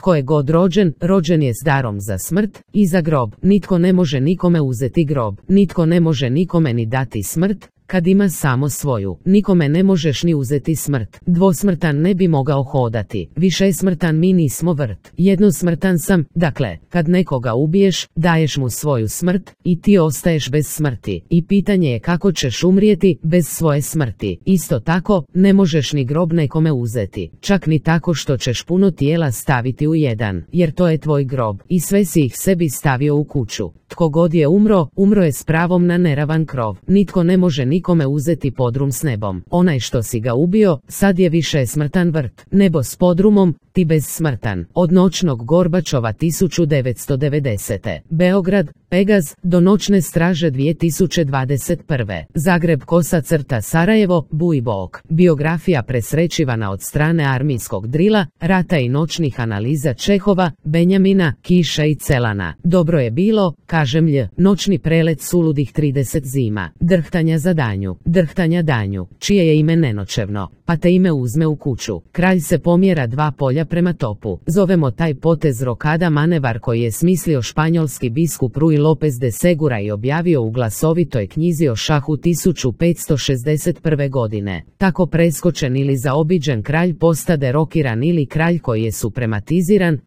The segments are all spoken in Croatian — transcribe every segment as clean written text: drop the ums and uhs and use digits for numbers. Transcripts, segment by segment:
Tko je god rođen, rođen je s darom za smrt i za grob. Nitko ne može nikome uzeti grob. Nitko ne može nikome ni dati smrt, kad ima samo svoju. Nikome ne možeš ni uzeti smrt. Dvosmrtan ne bi mogao hodati. Višesmrtan mi nismo vrt. Jednosmrtan sam, dakle, kad nekoga ubiješ, daješ mu svoju smrt i ti ostaješ bez smrti. I pitanje je kako ćeš umrijeti bez svoje smrti. Isto tako, ne možeš ni grob nekome uzeti. Čak ni tako što ćeš puno tijela staviti u jedan, jer to je tvoj grob. I sve si ih sebi stavio u kuću. Tko god je umro, umro je s pravom na neravan krov. Nitko ne može nikome uzeti podrum s nebom. Onaj što si ga ubio, sad je višesmrtan vrt. Nebo s podrumom, ti bezsmrtan. Od noćnog Gorbačova 1990. Beograd, Pegaz, do noćne straže 2021. Zagreb _Sarajevo, Bujbok. Biografija presrećivana od strane armijskog drila, rata i noćnih analiza Čehova, Benjamina, Kiša i Celana. Dobro je bilo, kažem lj, noćni prelet suludih 30 zima. Drhtanja za danju, drhtanja danju, čije je ime nenoćevno, pa te ime uzme u kuću. Kralj se pomjera 2 polja prema topu. Zovemo taj potez rokada manevar koji je smislio španjolski biskup Rui López de Segura i objavio u glasovitoj knjizi o šahu 1561. godine. Tako preskočen ili zaobiđen kralj postade rokiran ili kralj koji je suprematiziran,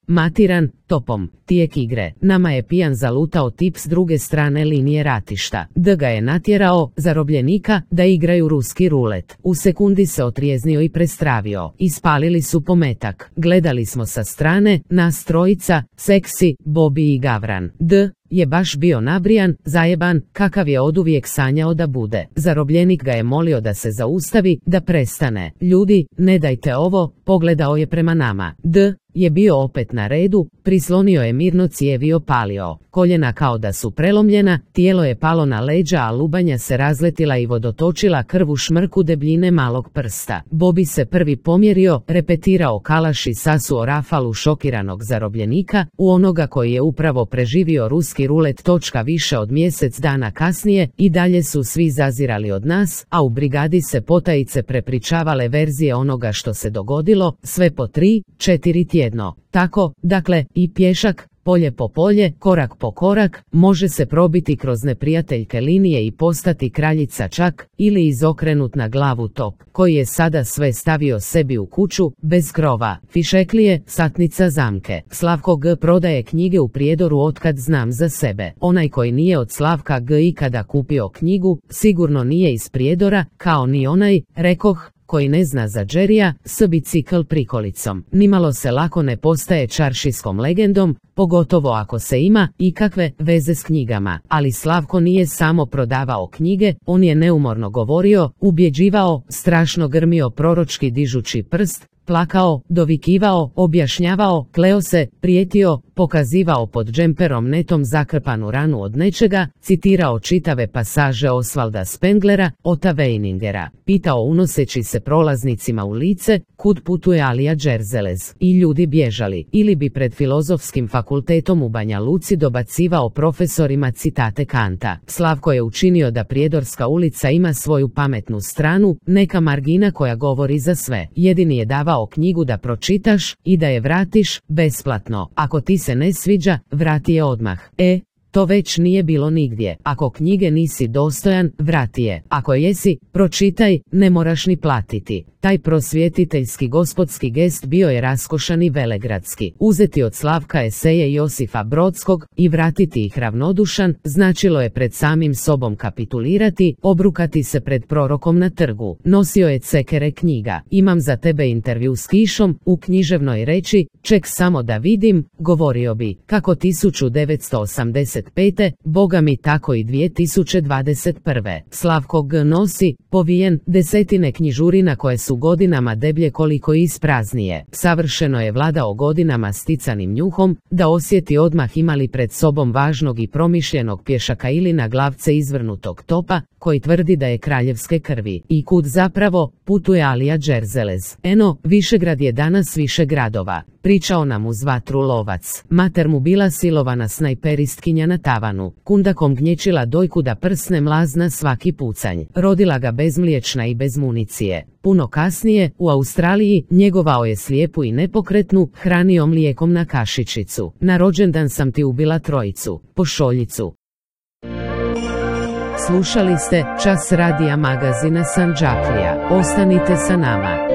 matiran, topom. Tijek igre. Nama je pijan zalutao tip s druge strane linije ratišta. D ga je natjerao, zarobljenika, da igraju ruski rulet. U sekundi se otrijeznio i prestravio. Ispalili su pometak. Gledali smo sa strane, nas trojica, Seksi, Bobby i Gavran. D je baš bio nabrijan, zajeban, kakav je oduvijek sanjao da bude. Zarobljenik ga je molio da se zaustavi, da prestane. Ljudi, ne dajte ovo, pogledao je prema nama. D je bio opet na redu, prislonio je mirno cijev i opalio. Koljena kao da su prelomljena, tijelo je palo na leđa, a lubanja se razletila i vodotočila krv u šmrku debljine malog prsta. Bobby se prvi pomjerio, repetirao kalaš i sasuo rafalu šokiranog zarobljenika, u onoga koji je upravo preživio ruski rulet. Više od mjesec dana kasnije, i dalje su svi zazirali od nas, a u brigadi se potajice prepričavale verzije onoga što se dogodilo, sve po 3-4 tjedno. Tako, dakle, i pješak, polje po polje, korak po korak, može se probiti kroz neprijateljke linije i postati kraljica čak, ili izokrenut na glavu top, koji je sada sve stavio sebi u kuću, bez krova, fišeklije, satnica zamke. Slavko G prodaje knjige u Prijedoru otkad znam za sebe. Onaj koji nije od Slavka G ikada kupio knjigu, sigurno nije iz Prijedora, kao ni onaj, rekoh, koji ne zna za Džerija, s bicikl prikolicom. Nimalo se lako ne postaje čaršijskom legendom, pogotovo ako se ima ikakve veze s knjigama. Ali Slavko nije samo prodavao knjige, on je neumorno govorio, ubjeđivao, strašno grmio proročki dižući prst, plakao, dovikivao, objašnjavao, kleo se, prijetio, pokazivao pod džemperom netom zakrpanu ranu od nečega, citirao čitave pasaže Osvalda Spenglera, Ota Weiningera, pitao unoseći se prolaznicima u lice, kud putuje Alija Džerzelez, i ljudi bježali, ili bi pred Filozofskim fakultetom u Banja Luci dobacivao profesorima citate Kanta. Slavko je učinio da Prijedorska ulica ima svoju pametnu stranu, neka margina koja govori za sve. Jedini je davao knjigu da pročitaš i da je vratiš besplatno. Ako ti se ne sviđa, vrati je odmah. To već nije bilo nigdje. Ako knjige nisi dostojan, vrati je. Ako jesi, pročitaj, ne moraš ni platiti. Taj prosvjetiteljski gospodski gest bio je raskošan i velegradski. Uzeti od Slavka eseje Josifa Brodskog i vratiti ih ravnodušan, značilo je pred samim sobom kapitulirati, obrukati se pred prorokom na trgu. Nosio je cekere knjiga. Imam za tebe intervju s Kišom, u književnoj reči, ček samo da vidim, govorio bi, kako 1985. Boga mi tako i 2021. Slavko G nosi, povijen, desetine knjižurina koje su godinama deblje koliko i ispraznije. Savršeno je vladao godinama sticanim njuhom, da osjeti odmah imali pred sobom važnog i promišljenog pješaka ili na glavce izvrnutog topa, koji tvrdi da je kraljevske krvi. I kud zapravo putuje Alija Džerzelez. Višegrad je danas više gradova. Pričao nam uz vatru lovac. Mater mu bila silovana snajperistkinja na na tavanu. Kundakom gnječila dojku da prsne mlazna svaki pucanj. Rodila ga bezmliječna i bez municije. Puno kasnije, u Australiji, njegovao je slijepu i nepokretnu, hranio mlijekom na kašičicu. Na rođendan sam ti ubila trojicu. Pošoljicu. Slušali ste Čas radija magazina Sandžaklija. Ostanite sa nama.